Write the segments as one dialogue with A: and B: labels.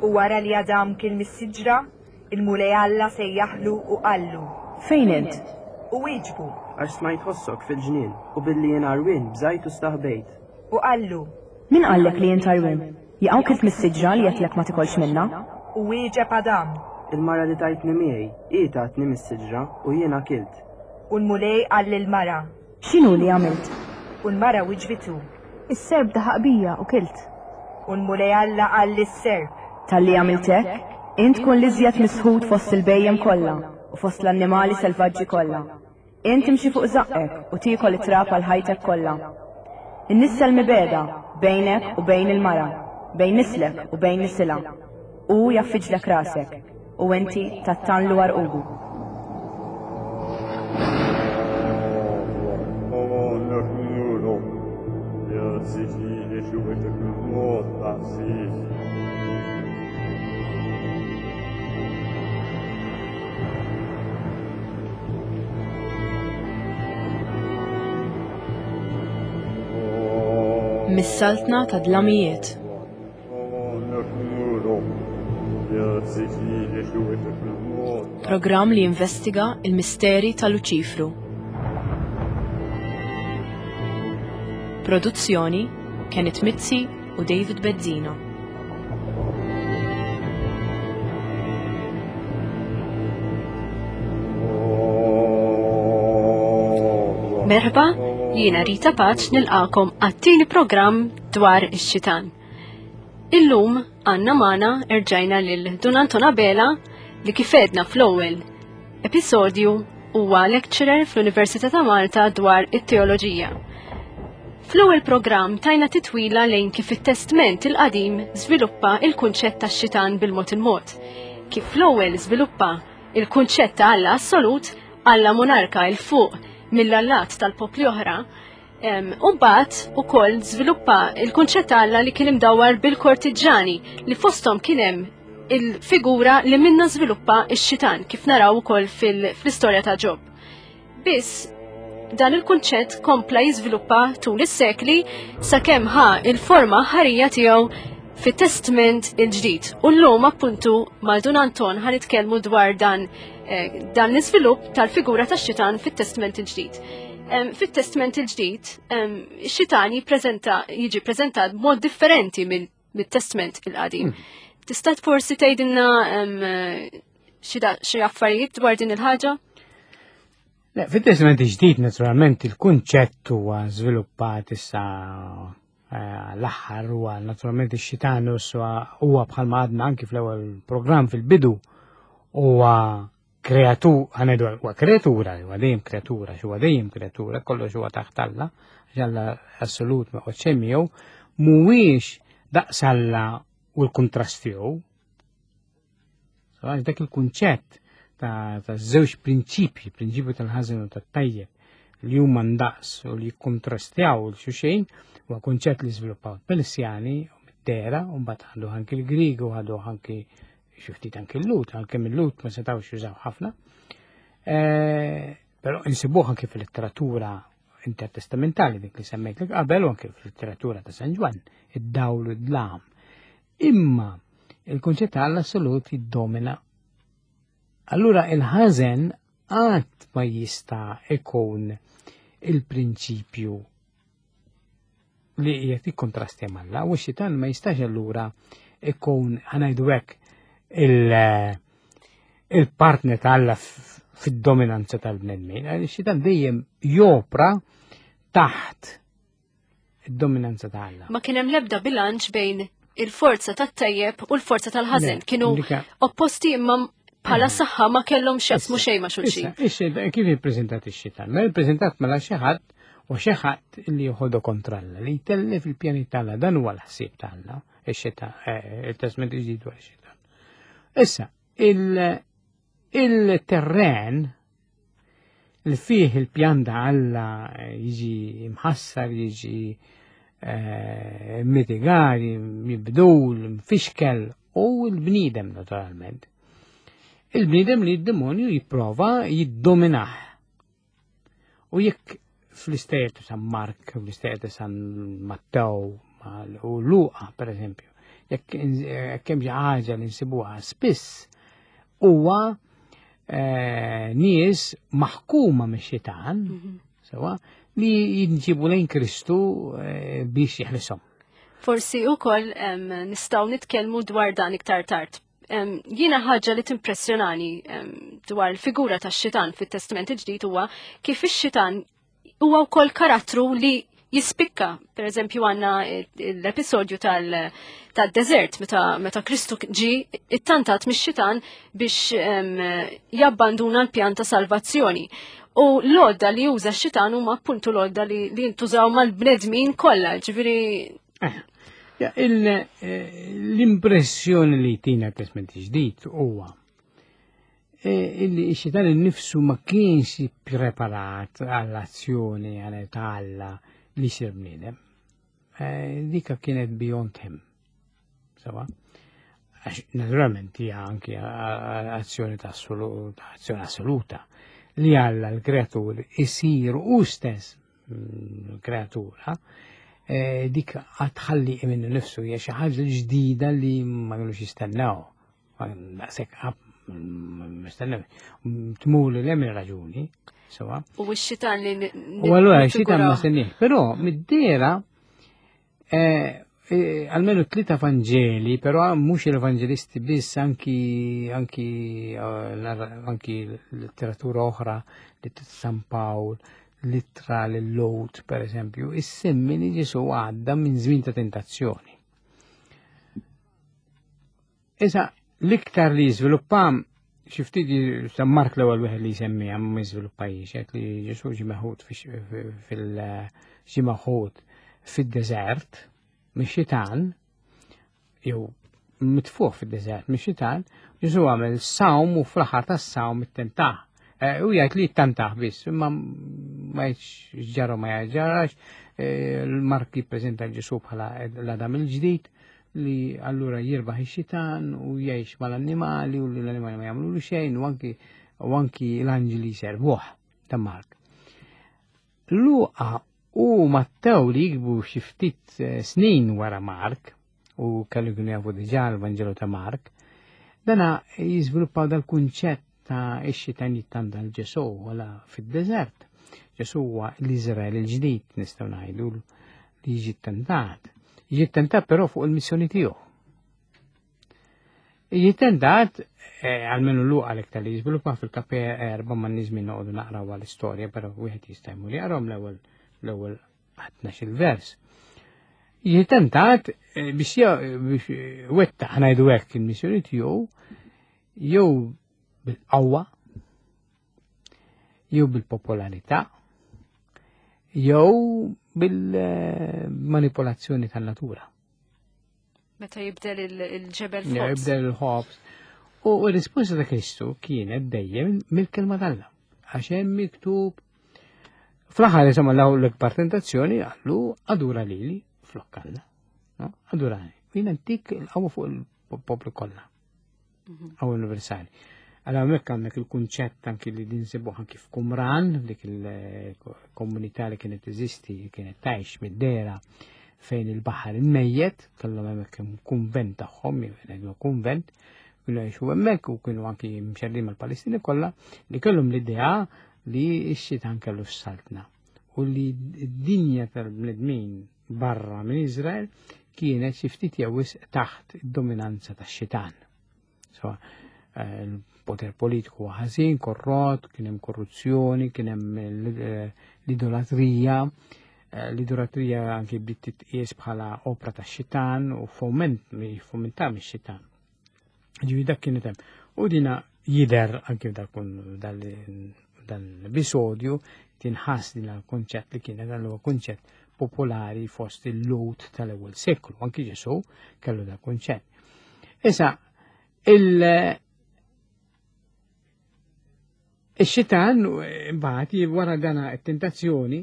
A: U wara li Adam kiel mis-siġra, il-Mulej Alla sejjaħlu u qallu.
B: Fejn int?
A: U wieġbu.
C: Għax smajt ħossok fil-ġnien, u billi jien għarwien bżajt u staħbejt.
A: U qallu.
B: Min qallek li int għarwien? Jaqaw kilt mis-siġra li għedtlek ma tikolx minnha?
A: U wieġeb Adam.
C: Il-mara li tajtni miegħi, hi tatni mis-siġra, u jiena kilt.
A: U l-Mulej qal lill-mara.
B: X'inhu li għamilt?
A: U l-mara wiġbitu.
B: Is-serp daħaq bija u kilt.
A: U l-Mulej Alla qal lis-serp.
B: Talli għamilt hekk, int tkun l-iżjed misħut fost il-bhejjem kollha u fost l-annimali selvaġġi kollha. Int timxi fuq żaqqek u tiekol it-trab għal ħajtek kollha. Innissel mibegħda bejnek u bejn il-mara, bejn nislek u bejn nisilha. Hu jgħaffiġlek rasek, u inti tattanlu għarqubu.
D: Mis-saltna ta' dlamijiet. Programm li jinvestiga il-misteri ta' Luċifru. Produzzjoni Kenneth Mizzi u David Bezzina.
E: Merħba, jiena Rita Paċ nilqakom għat-tieni programm dwar ix-xitan. Illum għandna magħna erġajna lil Dun Anton Abela li kif għedna fl-ewwel episodju huwa lecturer fl-Università ta' Malta dwar it-teoloġija. Fl-ewwel programm tajna titwila lejn kif it-Testment il-Qadim żviluppa il-kunċett tax-xitan bil-mod il-mod. Kif l-ewwel żviluppa il-kunċett ta' Alla assolut, Alla monarka il fuq mill-allat tal-popli oħra, U mbagħad ukoll żviluppa il-kunċett ta' Alla li kien imdawwar bil-kortiġġani li fosthom kien hemm il-figura li minna żviluppa x-xitan kif naraw ukoll fl-istorja ta' Ġob. Biss dan il-kunċett kompla jiżviluppa tul is-sekli sakemm ħa il-forma ħarija tiegħu fit-Testment il-ġdid. U llum appuntu ma' Dun Anton ħa nitkellmu dwar dan eh, dan l-iżvilupp tal-figura tax-xitan fit-Testment il-ġdid. Fit-Testment il-ġdid, xitan jippreżenta jiġi preżentat b'mod differenti mit-Testment il-qadim. Hmm. Tista' forsi tgħidilna xi affarijiet dwar din il-ħaġa?
F: Le, fit-Testament il-ġdid naturalment il-kunċett huwa żviluppat issa eh, l-aħħar huwa naturalment ix-xitan huwa bħalma għadna anki fl-ewwel programm fil-bidu huwa kreatu, ħanedu huwa kreatura, huwa dejjem kreatura, huwa dejjem kreatura, kollox huwa taħt Alla, għax Alla assolut ma joqgħodx hemm miegħu, mhuwiex daqs Alla u l-kuntrast tiegħu. Għax dak il-kunċett ta' żewġ prinċipji, prinċipju tal-ħażin u tat-tajjeb, li huma ndaqs u li jikkontrastjaw l xulxin, huwa kunċett li żviluppaw il-Persjani u mid-dera, u mbagħad ħadu anki l-Grieg u ħadu anki xi ftit anki l-Lut, għalkemm il-Lut ma setgħux jużaw ħafna. Eh, però insibuh anki fil-letteratura intertestamentali dik li semmejt li qabel u anki fil-letteratura ta' San Ġwann, id-dawl u d-dlam. Imma il-kunċett ta' l-assolut jiddomina. Allura il-ħażen qatt ma jista' ikun il-prinċipju li qiegħed jikkontrasti m'Alla u x-xitan ma jistax allura ikun ħanajdu hekk il-partner ta' Alla fid-dominanza tal-bnedmin. Ix-xitan dejjem jopra taħt id-dominanza ta' Alla.
E: Ma kien hemm l-ebda bilanċ bejn il-forza tat-tajjeb u l-forza tal-ħażen. Kienu opposti imma bħala eh. saħħa ma kellhom x'jaqsmu xejn ma' xulxin.
F: Kif ippreżentat ix-xitan? Mela ippreżentat mela xi ħadd u xi ħadd li joħodu kontra Alla, li jtellef il-pjani tal dan huwa l-ħsieb tal ix-xitan, eh, il-testament il-ġdid dwar ix-xitan. Issa, il-terren li fih il-pjan ta' Alla jiġi mħassar, jiġi eh, mitigar, mibdul, mfixkel u l-bniedem naturalment. Il-bniedem li d-demonju jipprova jiddominah. U jekk fl-istejjer ta' San Mark, fl-istejjer ta' San Mattew u Luqa, per eżempju, Jekk hemm xi ħaġa li nsibuha spiss huwa eh, nies maħkuma mix-xitan, mhm. sewa, li jinġibu lejn Kristu eh, biex jeħlisom.
E: Forsi ukoll nistgħu nitkellmu dwar dan iktar tard. Jiena ħaġa li timpressjonani dwar il-figura tax-xitan fit-Testament il-Ġdid huwa kif ix-xitan huwa wkoll karattru li jispikka. Per eżempju għanna l-episodju tal-desert meta, meta Kristu ġi ittantat mix-xitan biex jabbanduna l-pjan ta' salvazzjoni. U l-odda li juża x-xitan huma appuntu l-odda li, li jintużaw mal-bnedmin kollha, ġifieri
F: eh, eh, L-impressjoni li tina testament ġdid huwa E, illi x-xitan innifsu ma kienx preparat għall-azzjoni għal ta' Alla li jsir bniedem. E, dika kienet beyond him. Sawa? Għax naturalment hija anki azzjoni ta' azzjoni assoluta li Alla l-kreatur isir u stess mm, kreatura e, dik għatħalli minnu nifsu hija xi ħaġa ġdida li ma kellux jistennew. Daqshekk mistennew. Tmur li hemm raġuni, sewa.
E: U x-xitan li.
F: U allura x-xitan ma sennih. Però mid-dera eh, eh, almenu tlita Vangeli, però mhux il-Evangelisti biss anki anki eh, anki letteratura oħra li San Pawl, l-ittra l-Lot, per eżempju, issemmi li Ġesu għadda minn żmien ta' tentazzjoni. Issa, l-iktar li jiżviluppa xi ftit San Mark l-ewwel wieħed li jsemmiha ma jiżviluppajiex, qed li Ġesù ġie meħud fil ġie meħud fid-deżert mix-xitan jew mitfuħ fid-deżert mix-xitan, Ġesù għamel sawm u fl-aħħar tas-sawm ittentah. Eh, u jgħid li jittantah biss, imma ma jgħidx ġara ma jgħidx eh, l-Mark jippreżenta Ġesù bħala l-Adam il-ġdid li allura jirbaħ ix-xitan u jgħix mal-annimali u li l-annimali ma jagħmlu xejn u anki u anki l-anġli jservuh ta' Mark. Luqa u Mattew li jikbu xi ftit eh, snin wara Mark u kellu kienu jafu diġà l-Vanġelu ta' Mark, dana jiżviluppaw dal-kunċett ta' ix-xitan jittanda l-Ġesu wala fid-deżert. Ġesu huwa l-Iżrael il-ġdid nistgħu ngħidu li jiġi ttentat. Jiġi ttentat però fuq il-missjoni tiegħu. Jiġi ttentat, eh, għalmenu l għalek tal-li jiżviluppa fil-kape erba ma nizmin noqogħdu naqraw għal-istorja, però wieħed jista' jmur jaqrom l-ewwel l-ewwel 12 vers. Jiġi tentat eh, biex eh, wetta ħnajdu hekk il-missjoni tiegħu jew bil-qawwa jew bil-popolarità, jew bil-manipolazzjoni tan-natura.
E: Meta jibdel il-ġebel f'ħobż.
F: Jibdel il-ħobż. U r-risposta ta' Kristu kienet dejjem mill-kelma t'Alla. Għax hemm miktub fl-aħħar insomma l-ikbar tentazzjoni għallu adura lili flok Alla. Adurani. Jien antik il-qawwa fuq il-poplu kollha. Mhm. Għaw universali. Għala hemmhekk għandek il-kunċett anki li dinsibuh anki f'Qumran, dik il-komunità li kienet teżisti, kienet tgħix mid-dera fejn il-baħar il-mejjet, kellhom hemmhekk kunvent tagħhom, jew kunvent, kienu jgħixu hemmhekk u kienu anki mxerrin mal-Palestini kollha li kellhom l-idea li x-xitan kellu s-saltna u li d-dinja tal-bnedmin barra minn Izrael kienet xi ftit jew wisq taħt id-dominanza tax-xitan. So, eh, il-poter politiku ħażin, korrott, kien hemm korruzzjoni, kien hemm eh, l-idolatrija, eh, l-idolatrija anki bdiet titqies bħala opra tax-xitan u foment fomentà mix-xitan. Ġifieri dak kien hemm. U dina jider anki dan l-episodju tinħass din l-konċett li kienet dan huwa kunċett popolari fost il-Lhud tal-ewwel seklu, anki Ġesu kellu da kunċett. Issa, il- Ix-xitan imbagħad wara dana t-tentazzjoni,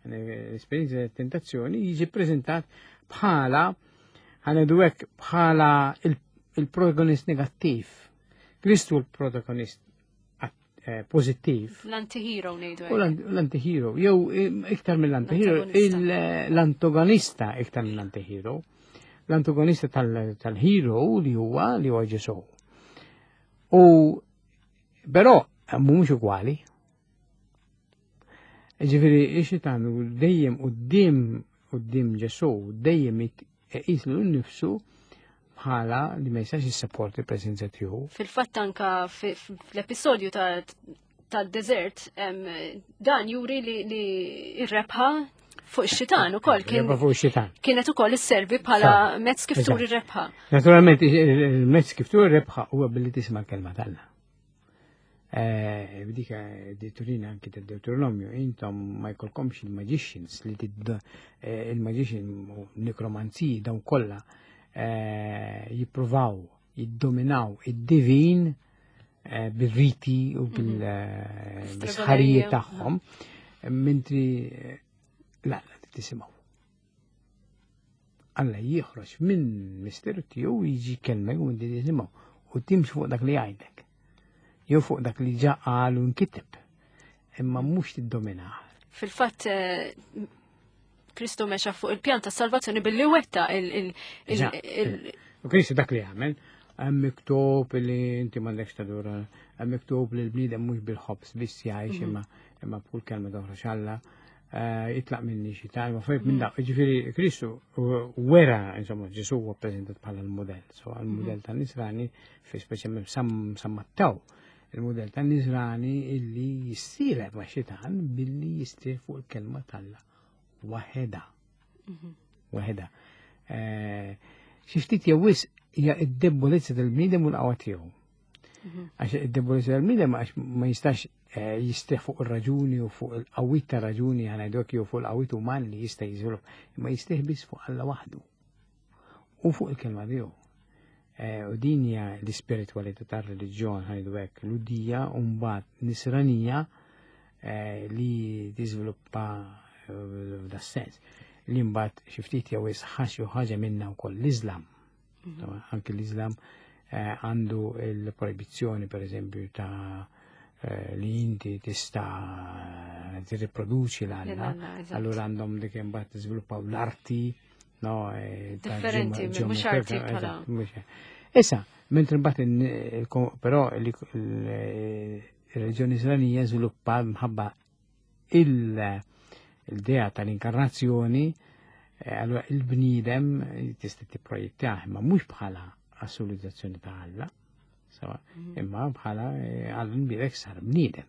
F: l-esperjenza tentazzjoni jiġi preżentat bħala ħanedu hekk bħala il-protagonist negattiv. Kristu l-protagonist eh, pozittiv.
E: L-antihero ngħidu.
F: L-antihero, jew eh, iktar mill-antihero, l-antagonista iktar mill-antihero. L-antagonista tal-hero li huwa li huwa Ġesù. U però mhumiex ugwali. Ġifieri ix-xitan dejjem quddiem quddiem Ġesù dejjem iqis lilu nnifsu bħala li ma jistax jissapporti l-preżenza tiegħu.
E: Fil-fatt anka fl-episodju tad-deżert dan juri li r-rebħa fuq ix-xitan ukoll kien
F: fuq ix-xitan.
E: Kienet ukoll isservi bħala mezz kif turi rebħa.
F: Naturalment il-mezz kif turi rebħa huwa billi tisma' l-kelma t'Alla. Eh, b'dika di turina anki ta' Deuteronomio, intom ma jkollkomx il-magicians li tidd eh, il-magician u nekromanziji dawn kollha eh, jippruvaw jiddominaw id-divin bir-riti u mhm. bil-sħarijiet tagħhom, mentri la, tisimgħu. Alla jieħroġ minn misteru tiegħu jiġi kelmek u inti tisimgħu u timx fuq dak li jgħidlek. Jew fuq dak li ġa qal u nkiteb. Imma mhux tiddominah.
E: Fil-fatt eh, Kristu mexa fuq il-pjan ta' salvazzjoni billi wetta il-
F: U Kristu dak li għamel, hemm miktub li inti m'għandekx tadura, hemm miktub li l-bniedem mhux bil-ħobż biss jgħix mhm. imma imma b'kull kelma toħroġ Alla. Eh, jitlaq minni xi ta' ma fejt minn dak. Ġifieri Kristu wera, insomma, Ġesu huwa ppreżentat bħala l-mudell. So l-mudell ta' Nisrani fi speċjalment San Mattew, il-mudell ta' Nisrani illi jissielet ma' xitan billi jistrieħ fuq il-kelma t'Alla waħedha. Mhm. Waħedha. Eh, xi ftit jew wisq hija d-debolezza tal-bniedem u l-qawwa tiegħu. Mhm. Għax id-debolezza tal-bniedem għax ma jistax eh, jistrieħ fuq ir-raġuni u fuq il-qawwiet ta' raġuni ħanajdok jew fuq il-qawwiet uman li jista' jiżvilupp, imma jistrieħ biss fuq Alla waħdu u fuq il-kelma tiegħu. Eh, u din hija l-ispiritwalità tar-reliġjon ħajdu hekk, l-udija u mbagħad nisranija eh, li tiżviluppa f'da sens li mbagħad xi ftit jew isħax jew ħaġa minna wkoll l-Iżlam. Mhm. Anki l-Islam eh, għandu il-proibizzjoni per eżempju ta' eh, li inti tista' tirriproduċi l-alla, allura għandhom dik imbagħad tiżviluppaw l-arti, no,
E: eh, differenti, mhux arti bħala.
F: Issa, mentri mbagħad però il-reliġjoni Isranija żviluppa mħabba il-dea tal-inkarnazzjoni, eh, allora il-bniedem tista' tipprojettah imma mhux bħala assolutizzazzjoni ta' Alla, mhm. imma bħala eh, Alla nbirek sar bniedem.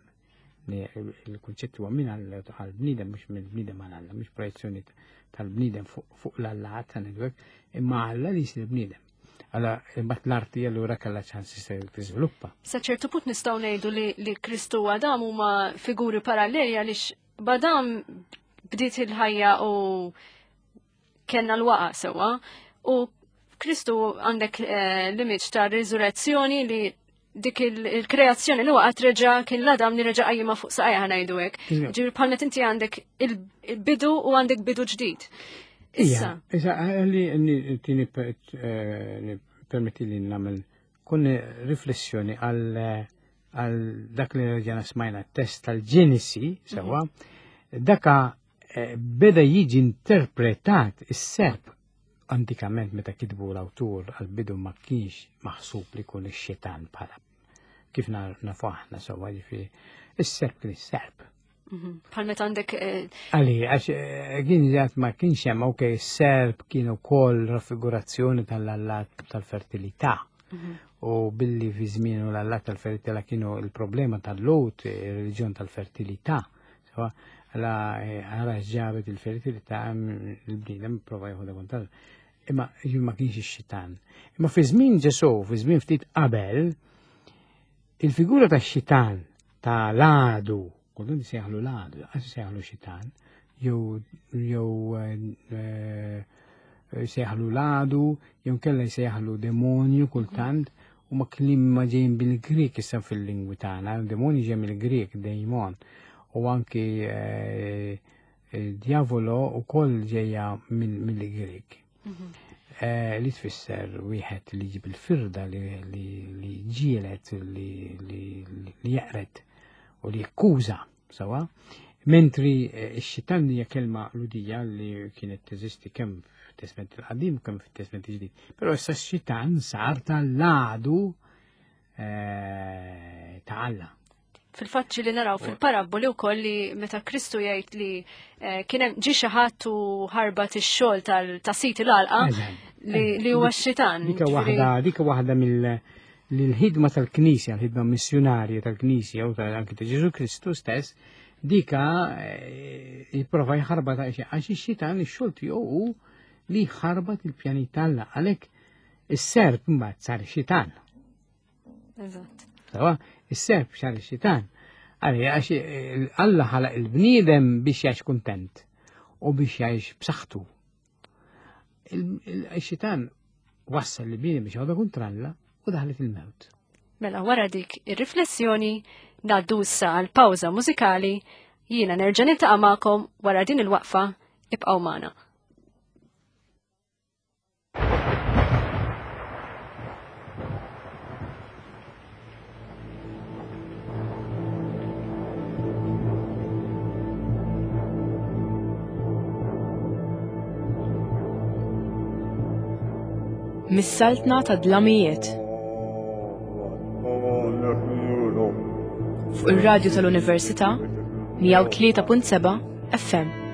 F: Il-kunċett huwa minn għal bniedem mhux minn bniedem għal Alla, mhux projezzjoni tal-bniedem fuq l-Alla ta' imma Alla li jsir bniedem. Għala, imbagħad l-arti allura kellha ċans tiżviluppa.
E: Sa ċertu punt nistgħu ngħidu li, li Kristu u Adam huma figuri paralleli għaliex b'Adam bdiet il-ħajja u kellna l-waqa sewwa u Kristu għandek eh, l-image ta' riżurrezzjoni li dik il-kreazzjoni li waqgħet reġa' kien l-Adam li reġa' qajjimha fuq saqajja ngħidu hekk. Ġifieri bħalmet inti għandek il-bidu u għandek bidu ġdid.
F: Issa. Issa, li tini eh, permetti li nagħmel kun riflessjoni għal għal dak li reġana smajna test tal-Ġenesi, sewa, mhm. daka eh, beda jiġi interpretat is-serp Antikament meta kitbu l-awtur għall-bidu ma kienx maħsub li jkun ix-xitan bħala kif nafu aħna sewwa ġifieri is-serp kien is-serp.
E: Mhm. Bħal meta għandek. Eh,
F: Għali, għax eh, kien ġat ma kienx hemm ok, serp kien ukoll raffigurazzjoni tal-allat tal-fertilità. Mhm. U billi fi żmienu l-allat tal-fertilità kienu il-problema tal-lut, il-reliġjon tal-fertilità. Sewa, għala eh, għara ġabet il-fertilità il-bniedem prova jieħu kontra. Imma ma kienx ix-xitan. Imma fi żmien Ġesù, fi żmien ftit qabel, il-figura ta' xitan ta' l-għadu, kultant sejħlu l-għadu, għas sejħlu xitan, jew jew eh, jsejħlu l-għadu, jew kella jsejħlu demonju kultant, u ma kliem ma ġejjin bil-Grek issa fil-lingwi tagħna, demonju ġej mill-Grek, daemon, u anki eh, eh, diavolo u koll ġejja mill-Grek. Mhm. Eh, li tfisser wieħed li jġib il-firda li ġielet li jaqret u li jekkuża Sawa? Mentri eh, x-xitan hija kelma ludija li kienet teżisti kemm fit-Testament il-Qadim kemm fit-Testament il-Ġdid. Però issa x-xitan sar tal-għadu eh, ta' Alla.
E: Fil-fatt li naraw fil-parabboli wkoll li meta Kristu jgħid li eh, kien hemm ġie xi ħadd u ħarbat ix-xogħol ta' sit il-għalqa li huwa x-xitan.
F: Dika waħda, dika waħda mill li l-ħidma tal-Knisja, l-ħidma missjunarja tal-Knisja u anki ta' Ġesu Kristu stess, dika eh, jipprova jħarba ta' għax ix-xitan ix-xogħol tiegħu hu li jħarbat il-pjani tal-Alla għalhekk is-serp mbagħad sar xitan.
E: Eżatt.
F: Sawa, is-serp sar xitan. Għalli, għax eh, Alla ħalaq il-bniedem biex jgħix kuntent u biex jgħix b'saħħtu. Il-xitan wassal li bniedem biex jgħodu kontra Alla u daħlet il-mewt.
E: Mela wara dik ir-riflessjoni ngħaddu issa għal pawża mużikali jiena nerġa' niltaqa' magħkom wara din il-waqfa ibqgħu magħna.
D: Mis-saltna ta' dlamijiet. Fuq ir-radju tal-Università 103.7 FM.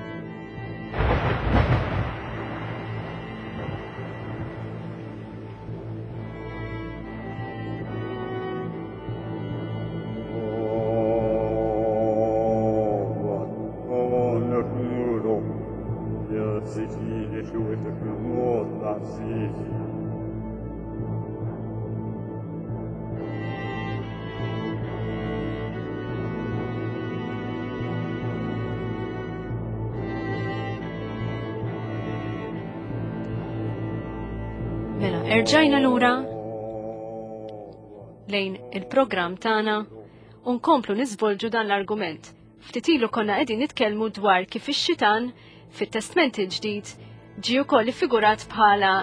E: Mela, erġajna lura lejn il-programm tagħna u nkomplu niżvolġu dan l-argument. Ftit ilu konna qegħdin nitkellmu dwar kif ix-xitan fit-Testment il-Ġdid ġie wkoll iffigurat bħala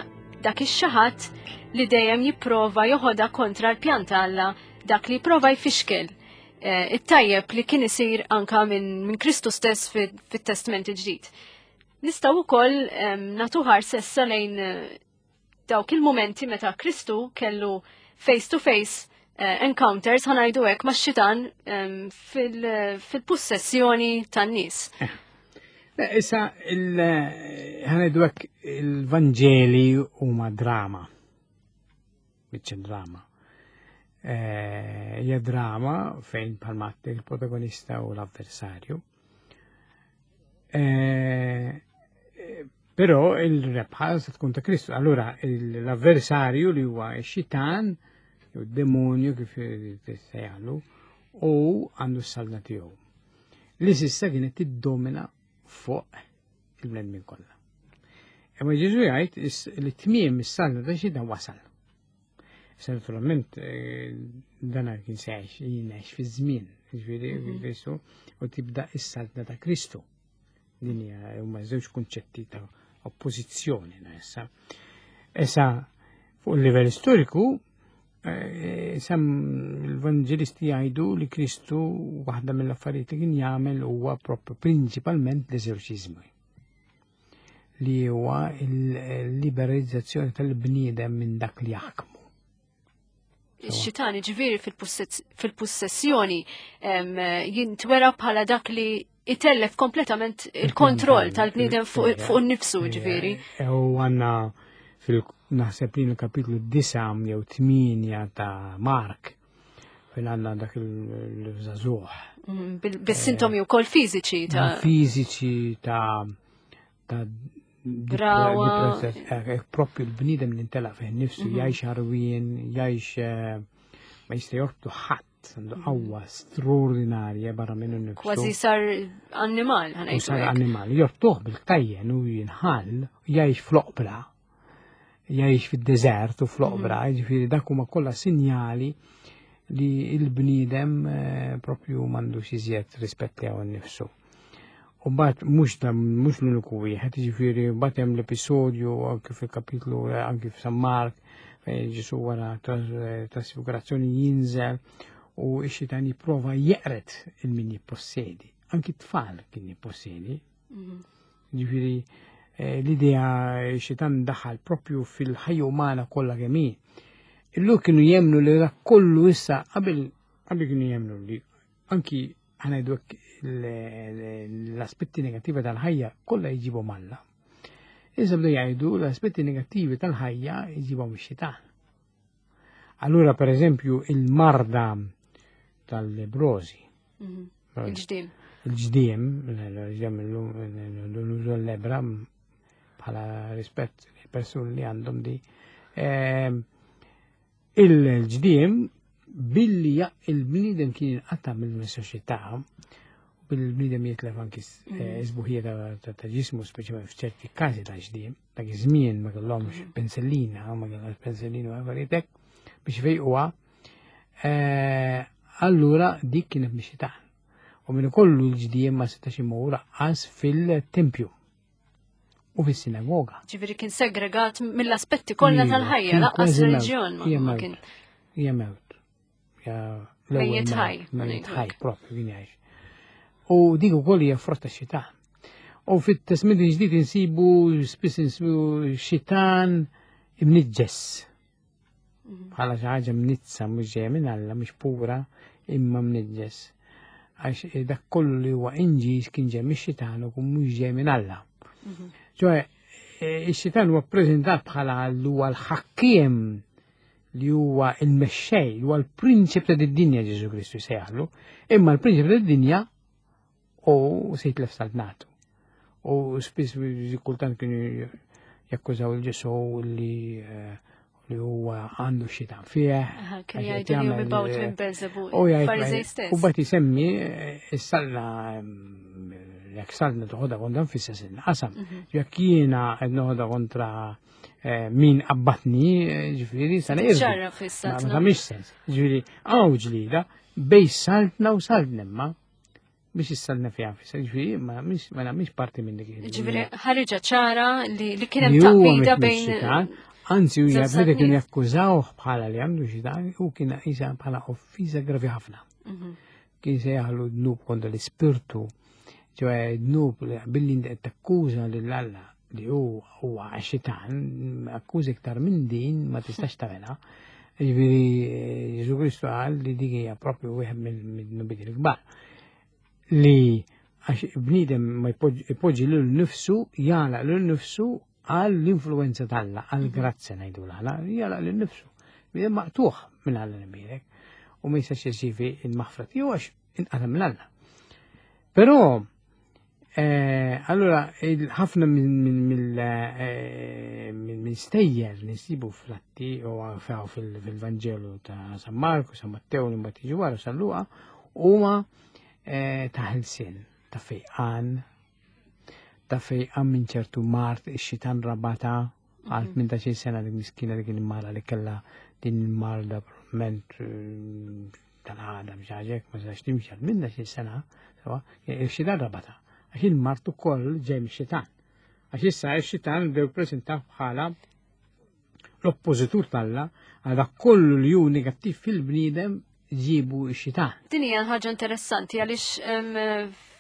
E: dak ix-xi ħadd li dejjem jipprova joħodha kontra l-pjan ta' Alla, dak li jipprova jfixkel eh, it-tajjeb li kien isir anka minn min Kristu stess fit-Testment il-Ġdid. Nistgħu wkoll nagħtu ħarsa issa lejn eh, dawk il-momenti meta Kristu kellu face to face eh, encounters ħanajdu hekk max-xitan fil-possessjoni tan-nies.
F: Eh, issa ħanajdu hekk il-Vanġeli huma drama. Biċċa drama. Eh, hija drama fejn bħalma il-protagonista u l-avversarju. Eh, però il-rebħa se tkun ta' Kristu. Allura l-avversarju li huwa x-xitan, jew demonju kif sejjalu, u għandu s-salna tiegħu. Li sissa kienet tiddomina fuq il-bnedmin kollha. Imma Ġesu jgħid li tmiem is-salna ta' xitan wasal. Issa naturalment eh, dan kien se jgħix fi żmien, ġifieri mhm. Kristu, u tibda is-saltna ta' Kristu. Din hija huma żewġ kunċetti ta' oppożizzjoni issa. Issa fuq il-livell storiku eh, sem l-Evangelisti jgħidu li Kristu waħda mill-affarijiet li kien jagħmel huwa propju prinċipalment l-eżorċiżmu li huwa il-liberalizzazzjoni tal-bniedem minn dak li jaħkmu.
E: Ix-xitan ġifieri fil-possessjoni jintwera bħala dak li itellef kompletament il-kontroll tal-bniedem fuq nifsu ġifieri.
F: Eh, u għanna fil-naħseb li l-kapitlu 9 jew 8 ta' Mark fejn għandna dak il-żagħżugħ.
E: Mm, bis-sintomi eh, wkoll fiżiċi
F: ta' fiżiċi ta' ta'
E: Brawa.
F: Eh, eh, propju l-bniedem li ntela fih nifsu mhm. jgħix ħarwien, jgħix ma jista' jorbtu ħadd għandu mhm. qawwa straordinarja barra minnu nifsu.
E: Kważi sar annimal,
F: ħanajtu. Sar annimal, jorbtuh bil-ktajjen u jinħall, jgħix fl-oqbra jgħix fid-deżert u fl-oqbra, mhm. jiġifieri dak huma kollha sinjali li l-bniedem eh, propju m'għandux iżjed rispett tiegħu nnifsu. U mbagħad mhux mhux l-uniku wieħed, jiġifieri mbagħad hemm l-episodju anke fil-kapitlu eh, anke f'San Mark fejn Ġesu wara eh, trasfigurazzjoni jinżel u x-xitan jipprova jeqret il-min jippossedi. Anki t-tfal kien jippossedi. Mhm. Ġifieri eh, l-idea xitan daħal propju fil-ħajja umana kollha kemm hi. Illum kienu jemnu li dak kollu issa qabel qabel kienu jemnu li anki ħanajdu l-aspetti negattivi tal-ħajja kollha jġibhom Alla. Issa bdew jgħidu l-aspetti negattivi tal-ħajja jġibhom ix-xitan. Allura per eżempju il-marda tal-lebrosi.
E: Mhm. Il-ġdim.
F: Il-ġdim, il-ġdim l-użu l-lebra bħala rispett li persuni li għandhom di. Ehm, il-ġdim billi il-bniedem kien inqata' mill-soċjetà bil-bniedem jitlef anki eh, isbuħija ta' ġismu, speċjalment f'ċerti każi ta' ġdim. Dak iż-żmien ma kellhomx mhm. pensellina, ma kellhomx pensellina u affarijiet hekk biex fejquha. Eh, allura dik kienet biex xitan. U minn kollu l-ġdiem ma setax imur għas fil-tempju u fis-sinagoga.
E: Ġifieri kien segregat mill-aspetti kollha tal-ħajja, laqqas reliġjon ma kien.
F: Hija mewt.
E: Mejjet ħaj.
F: Mejjet ħaj, propju kien jgħix. U dik ukoll hija frotta xitan. U fit-Testment il-Ġdid insibu spiss insibu xitan imniġġes. Mhm. Bħala xi ħaġa mnizza mhux ġejja minn Alla, mhux pura, imma mniġġes. Għax eh, dak kollu li huwa inġis kien ġej mix-xitan u kun mhux ġej minn Alla. Mhm. Ċoe, eh, ix-xitan huwa ppreżentat bħala li huwa l-ħakkiem li huwa il-mexxej, li huwa l-prinċip ta' dinja Ġesu Kristu jsejjaħlu, imma l-prinċip ta' dinja u se jitlef saltnatu. U spiss kultant kienu jakkużaw il-Ġesu li eh, li huwa għandu xitan fih.
E: Kien jgħidu li mibgħut minn Belzebul.
F: U jgħid u bat jisemmi eh, is-salna mm, jekk salna toħodha kontra nfissa qasam. Mhm. Jekk jiena qed noħodha kontra Eh, min qabbatni, eh, ġifiri, sa
E: nirdu. Ċarra fissa.
F: Ma tagħmilx sens. Ġifiri, għaw ġlida bej saltna u saltna imma biex is-saltna fiha fissa, ġifiri, ma nagħmilx parti minn dik.
E: Ġifiri, ħarġa ċara li kien hemm taqbida bejn.
F: Anzi, u jgħabda kienu jakkużawh bħala li għandu xi dan u kien isa bħala offiża gravi ħafna. Mhm. Kien se jaħlu dnub kontra l-ispirtu, ċoħe dnub billi takkuża lil Alla li hu huwa xitan, akkuża iktar minn din ma tistax tagħmilha. Jiġifieri Ġesu Kristu qal li dik hija propju wieħed minn-dnubiet il-kbar. Li għax bniedem ma jpoġġi lil nifsu, jagħlaq lil nifsu għal l-influenza t'Alla, għal mhm. grazzja ngħidu l jagħlaq lil nifsu. Bniedem maqtuħ minn Alla l-imbierek u ma jistax jirċievi il-maħfra tiegħu għax inqata' minn Alla. Però Eh, allora, ħafna minn eh, stejjer li nsibu fl-atti u fil-Vanġelu ta' San Marku, San Matteo, li mbagħad jiġu wara San Luqa, huma eh, ta' ħelsien, ta' fejqan, ta' fejqan minn ċertu mart, ix-xitan rabata għal 18 sena dik miskina dik il-mara li kellha din il-marda probabbilment tal-għada biex ma sax timxi għal minna xi sena, sewa, ix-xitan rabata. Għax il-mart ukoll ġej mix-xitan. Għax issa x-xitan bdew preżentaw bħala l-oppożitur talla għal dak kollu li hu negattiv fil-bniedem ġibu x-xitan.
E: Din hija ħaġa interessanti għaliex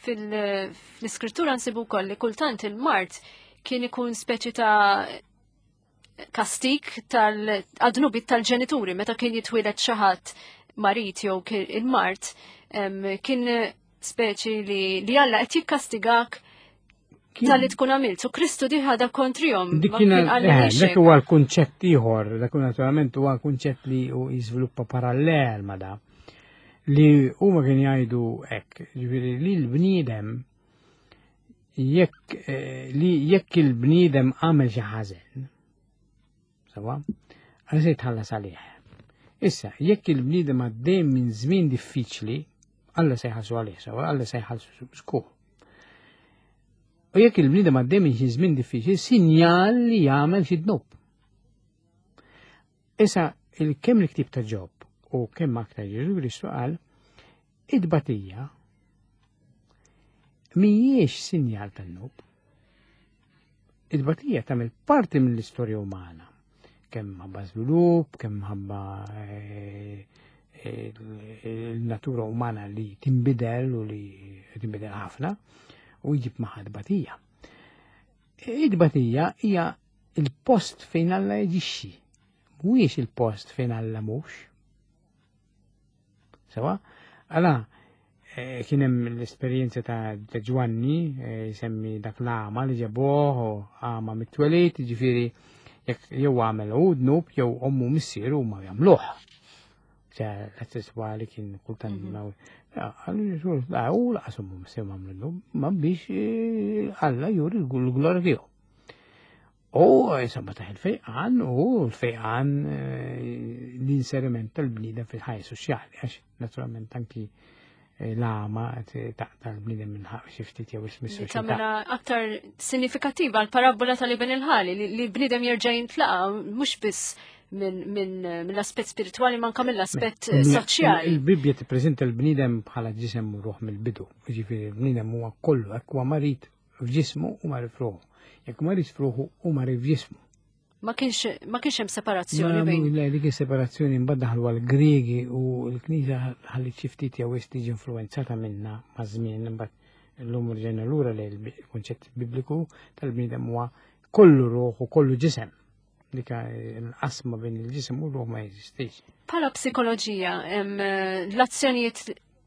E: fil-iskrittura nsibu wkoll li kultant il-mart kien ikun speċi ta' kastik tal-dnubit tal-ġenituri meta kien jitwieled xi ħadd marit jew il-mart kien speċi li li Alla qed jikkastigak tal-li tkun għamilt. U Kristu diħada kontrihom.
F: Dik kien eh, dak huwa l-kunċett ieħor, dak naturalment huwa kunċett li jiżviluppa parallel ma da. Li huma kien jgħidu hekk, ġifieri li l-bniedem jekk eh, li jekk il-bniedem għamel xi ħażen, sewa, għal se jitħallas għalih. Issa, jekk il-bniedem għaddej minn żmien diffiċli, Alla se jħallsu għalih, sewa, Alla se jħallsu skur. U jekk il-bniedem għaddej minn xi żmien diffiċli, sinjal li jagħmel xi dnub. Issa, il-kemm l-ktib ta' Ġob u kemm aktar Ġesu Kristu qal, id-batija mhijiex sinjal tan-nub. Id-batija tagħmel parti mill-istorja umana. Kemm ħabba żvilupp, kemm ħabba eh, il-natura umana li tinbidel u li tinbidel ħafna u jġib magħha tbatija. Id-batija hija il-post fejn Alla jeġixxi, mhuwiex il-post fejn Alla mhux. Sewa? Għala, eh, kien hemm l-esperjenza ta' Ġwanni, eh, jsemmi dak l-għama li ġabuh u għama mit-twelid, ġifieri jekk jew għamel u dnub jew ommu missieru ma jagħmluh. ċe l-sessuali kien kultant mhm. Għallu Ġesu, la, u laqas ommu missieru ma għamlu dnub, ma biex eh, Alla juri l-glorja tiegħu. U insomma taħ il-fejqan u l-fejqan eh, l-inseriment tal-bniedem fil-ħajja soċjali, għax naturalment anki eh, l-għama taqta l-bniedem minn ħaq xi ftit jew ismi soċjetà.
E: Tagħmilha aktar sinifikattiva l-parabbola tal-ibn il-ħali li l-bniedem jerġa' jintlaqa' mhux biss mill-aspett spiritwali manka mill-aspett soċjali.
F: Il-Bibbja tippreżenta l-bniedem bħala ġisem u ruħ mill-bidu, jiġifieri l-bniedem huwa kollu hekk huwa marid f'ġismu u marid f'ruħu. Jekk marid f'ruħu u marid f'ġismu.
E: Ma kienx ma kienx hemm separazzjoni bejn.
F: Le, dik is-separazzjoni mbagħad daħlu għall-Griegi u l-Knisja ħalli xi ftit jew tiġi influenzata minna maż-żmien imbagħad illum rġejna lura li l-kunċett bibliku tal-bniedem huwa kollu ruħ u kollu ġisem. Dik l-qasma bejn il-ġisem u ruħ ma jeżistix.
E: Bħala psikoloġija, l-azzjonijiet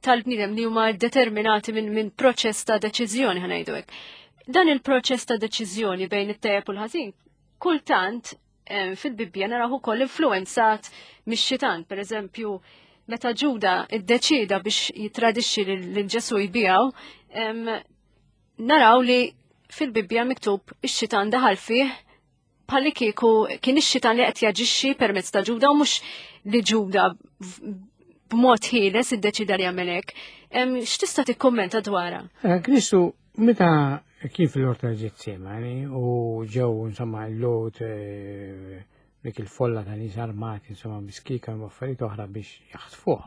E: tal-bniedem li huma determinati minn min proċess ta' deċiżjoni ħanajdu hekk. Dan il-proċess ta' deċiżjoni bejn it-tajjeb u l-ħażin, kultant fil-Bibbja naraw ukoll influenzat mix-xitan, per eżempju, meta Ġuda iddeċida biex jitradixxi lil Ġesu jbijaw, naraw li fil-Bibbja miktub ix-xitan daħal fih bħalli kieku kien ix-xitan li qed jaġixxi permezz ta' Ġuda u mhux li Ġuda b'mod ħieles iddeċida li jagħmel hekk. X'tista' tikkummenta dwarha?
F: Eh, Kristu meta kien fil-orta Ġetsemani u ġew insomma l-lot eh, dik il-folla ta' nies armati insomma biskika u affarijiet oħra biex jaħtfuh.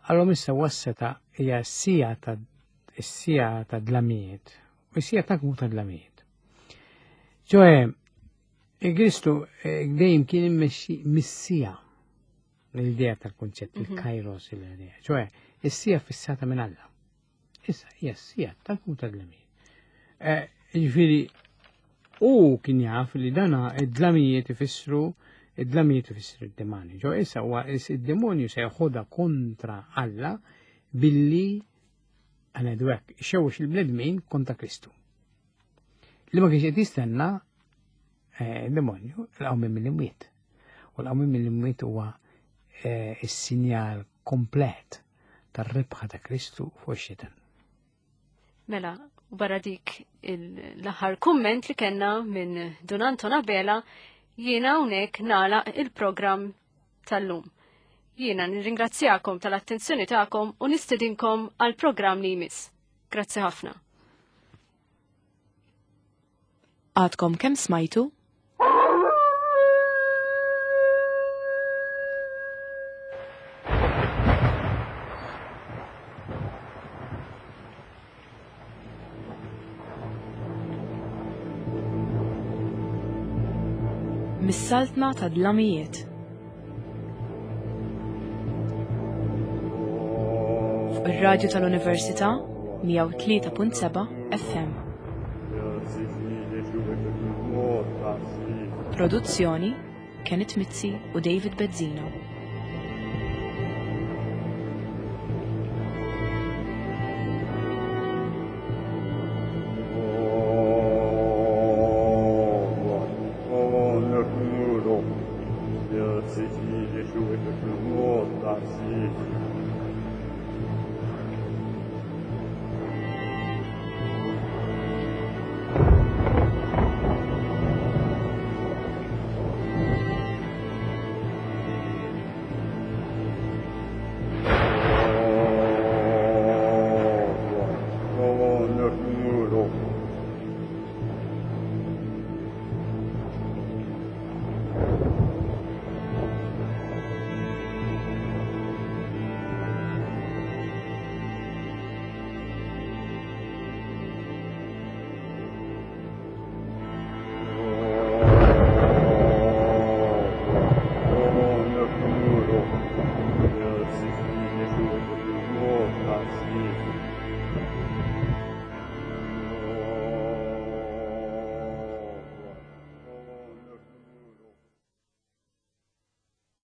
F: Allora issa wasseta hija sija ta' s-sija ta' dlamijiet u s-sija ta' ta' dlamijiet. ċoħe, Kristu eh, dejjem kien immexxi missija l-idea tal-konċett, mhm. il-kairos l-idea. ċoħe, is-sija fissata minn Alla. Issa, hija s-sija tal-kum tal-dlamijiet. Eh, ġifieri, u kien jaf li dana id-dlamijiet ifissru id-dlamijiet ifissru id-demonju. Ġo issa huwa id-demonju se jeħodha kontra Alla billi għanedwek hekk, xewx il-bnedmin kontra Kristu. Li ma kienx qed jistenna eh, demonju l-qawmien mill-imwiet. U l-qawmien mill-imwiet huwa eh, is-sinjal komplet tar-rebħa ta' Kristu fuq ix-xitan.
E: Mela, barra dik l-aħħar kumment li kellna minn Dun Anton Abela, jiena hawnhekk nagħlaq il-programm tal-lum. Jiena nirringrazzjakom tal-attenzjoni tagħkom u nistedinkom għal programm li jmiss. Grazzi ħafna.
D: Għadkom kemm smajtu? Mis-saltna ta' dlamijiet. Fuq ir-radju tal-Università 103.7 FM. Produzzjoni Kenneth Mizzi u David Bezzina.